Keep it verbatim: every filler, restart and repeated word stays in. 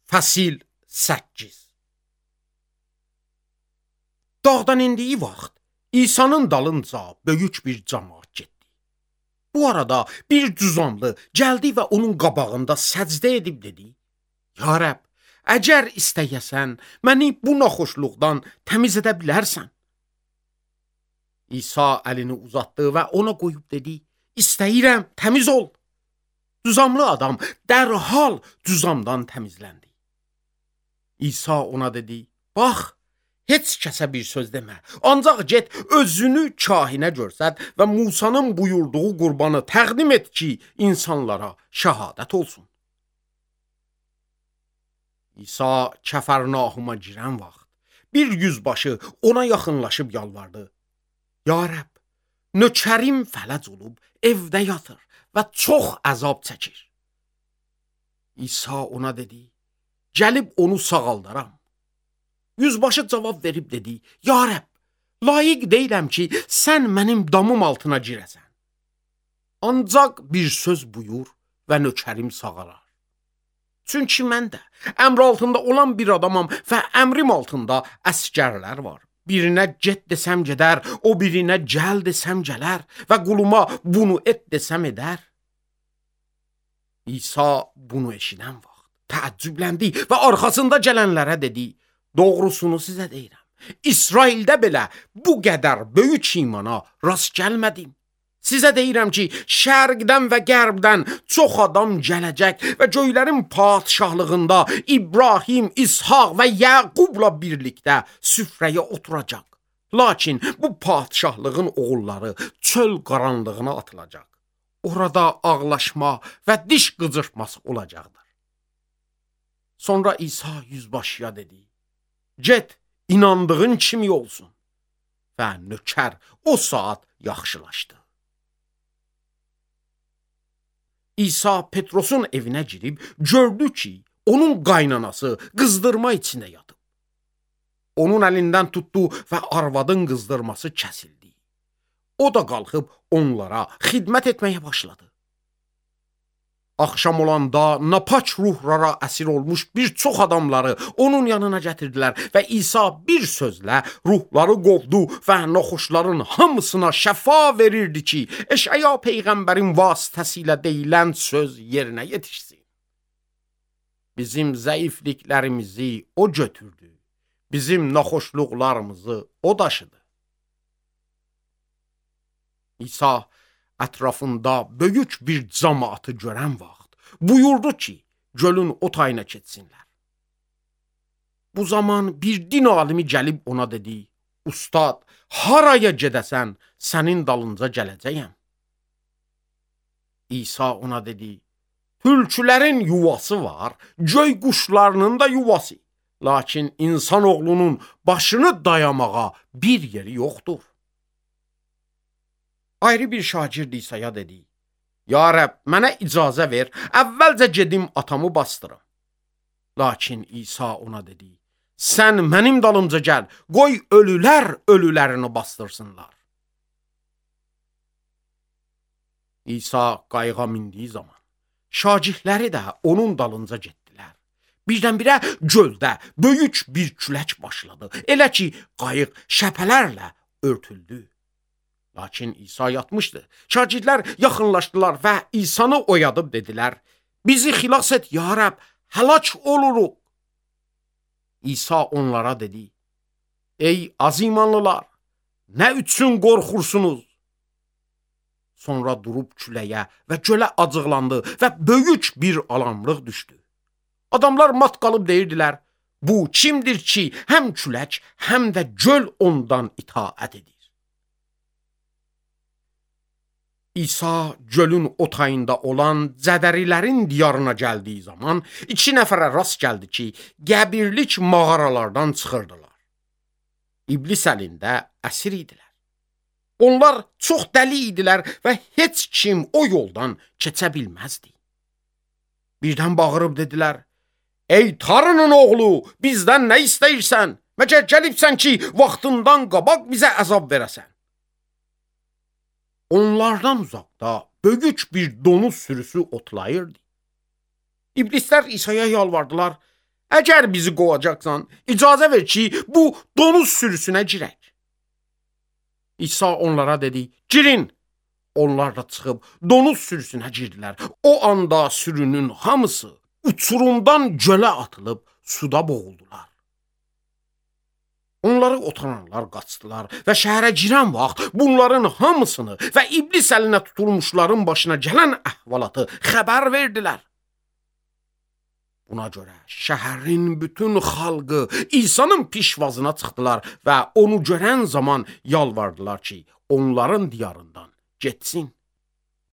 Fəsil səkkiz. Dağdan indiyi vaxt İsa'nın dalınca böyük bir cəmaət getdi. Bu arada bir cüzamlı gəldi və onun qabağında səcdə edib dedi: Ya Rəbb, əgər istəyəsən, məni bu naxoşluqdan təmiz edə bilərsən. İsa əlini uzatdı və ona qoyub dedi: İstəyirəm, təmiz ol. Cüzamlı adam dərhal cüzamdan təmizləndi. İsa ona dedi: Bax, heç kəsə bir söz demə. Ancaq get, özünü kahinə görsət və Musanın buyurduğu qurbanı təqdim et ki, insanlara şəhadət olsun. İsa Kəfərnahuma girən vaxt bir yüzbaşı ona yaxınlaşıb yalvardı: Ya Rəbb, nökərim fələc olub evdə yatır və çox əzab çəkir. İsa ona dedi: Gəlib onu sağaldaram. Yüzbaşı cavab verib dedi: Ya Rəbb, layiq deyiləm ki, sən mənim damım altına girəsən. Ancaq bir söz buyur və nökərim sağalar. Çünki mən də əmr altında olan bir adamam və əmrim altında əsgərlər var. Birinə get desəm gedər, o birinə gəl desəm gələr və quluma bunu et desəm edər. İsa bunu eşidən vaxt təəccübləndi və arxasında gələnlərə dedi: Doğrusunu sizə deyirəm, İsraildə belə bu qədər böyük imana rast gəlmədim. Sizə deyirəm ki, şərqdən və qərbdən çox adam gələcək və göylərin padşahlığında İbrahim, İshaq və Yaqubla birlikdə süfrəyə oturacaq. Lakin bu padşahlığın oğulları çöl qaranlığına atılacaq. Orada ağlaşma və diş qıcırtması olacaqdır. Sonra İsa yüzbaşıya dedi: Get, inandığın kimi olsun. Və nökər o saat yaxşılaşdı. İsa Petrosun evinə girib gördü ki, onun qaynanası qızdırma içində yatıb. Onun əlindən tutdu və arvadın qızdırması kəsildi. O da qalxıb onlara xidmət etməyə başladı. Axşam olanda napaç ruhlara əsir olmuş bir çox adamları onun yanına gətirdilər və İsa bir sözlə ruhları qovdu və naxoşların hamısına şəfa verirdi ki, Eşaya peyğəmbərin vasitəsilə deyilən söz yerinə yetişsin. Bizim zəifliklərimizi o götürdü, bizim naxoşluqlarımızı o daşıdı. İsa ətrafında böyük bir cəmaatı görən vaxt buyurdu ki, gölün o tayına keçsinlər. Bu zaman bir din alimi gəlib ona dedi: Ustad, haraya gedəsən, sənin dalınca gələcəyəm. İsa ona dedi: Tülkülərin yuvası var, göy quşlarının da yuvası. Lakin insanoğlunun başını dayamağa bir yeri yoxdur. Ayrı bir şagird İsa'ya dedi: Ya Rəbb, mənə icazə ver, əvvəlcə gedim atamı bastırım. Lakin İsa ona dedi: Sən mənim dalımca gəl, qoy ölülər ölülərini bastırsınlar. İsa qayığa mindiyi zaman şagirdləri də onun dalınca getdilər. Birdən-birə göldə böyük bir külək başladı. Elə ki, qayıq şəpələrlə örtüldü. Lakin İsa yatmışdı. Şagirdlər yaxınlaşdılar və İsanı oyadıb dedilər: Bizi xilas et, Ya Rəbb, həlak oluruq. İsa onlara dedi: Ey azimanlılar, nə üçün qorxursunuz? Sonra durub küləyə və gölə acıqlandı və böyük bir alamlıq düşdü. Adamlar mat qalıb deyirdilər: Bu kimdir ki, həm külək, həm də göl ondan itaət edir? İsa gölün o tayında olan Cədərilərin diyarına gəldiyi zaman iki nəfərə rast gəldi ki, qəbirlik mağaralardan çıxırdılar. İblis əlində əsir idilər. Onlar çox dəli idilər və heç kim o yoldan keçə bilməzdi. Birdən bağırıb dedilər: Ey Tanrının oğlu, bizdən nə istəyirsən? Məcə gəlibsən ki, vaxtından qabaq bizə əzab verəsən. Onlardan uzaqda böyük bir donuz sürüsü otlayırdı. İblislər İsa'ya yalvardılar: Əgər bizi qovacaqsan, icazə ver ki, bu donuz sürüsünə girək. İsa onlara dedi, girin. Onlar da çıxıb donuz sürüsünə girdilər. O anda sürünün hamısı uçurumdan gölə atılıb suda boğuldular. Onları otaranlar qaçdılar və şəhərə girən vaxt bunların hamısını və iblis əlinə tutulmuşların başına gələn əhvalatı xəbər verdilər. Buna görə şəhərin bütün xalqı İsa'nın pişvazına çıxdılar və onu görən zaman yalvardılar ki, onların diyarından getsin.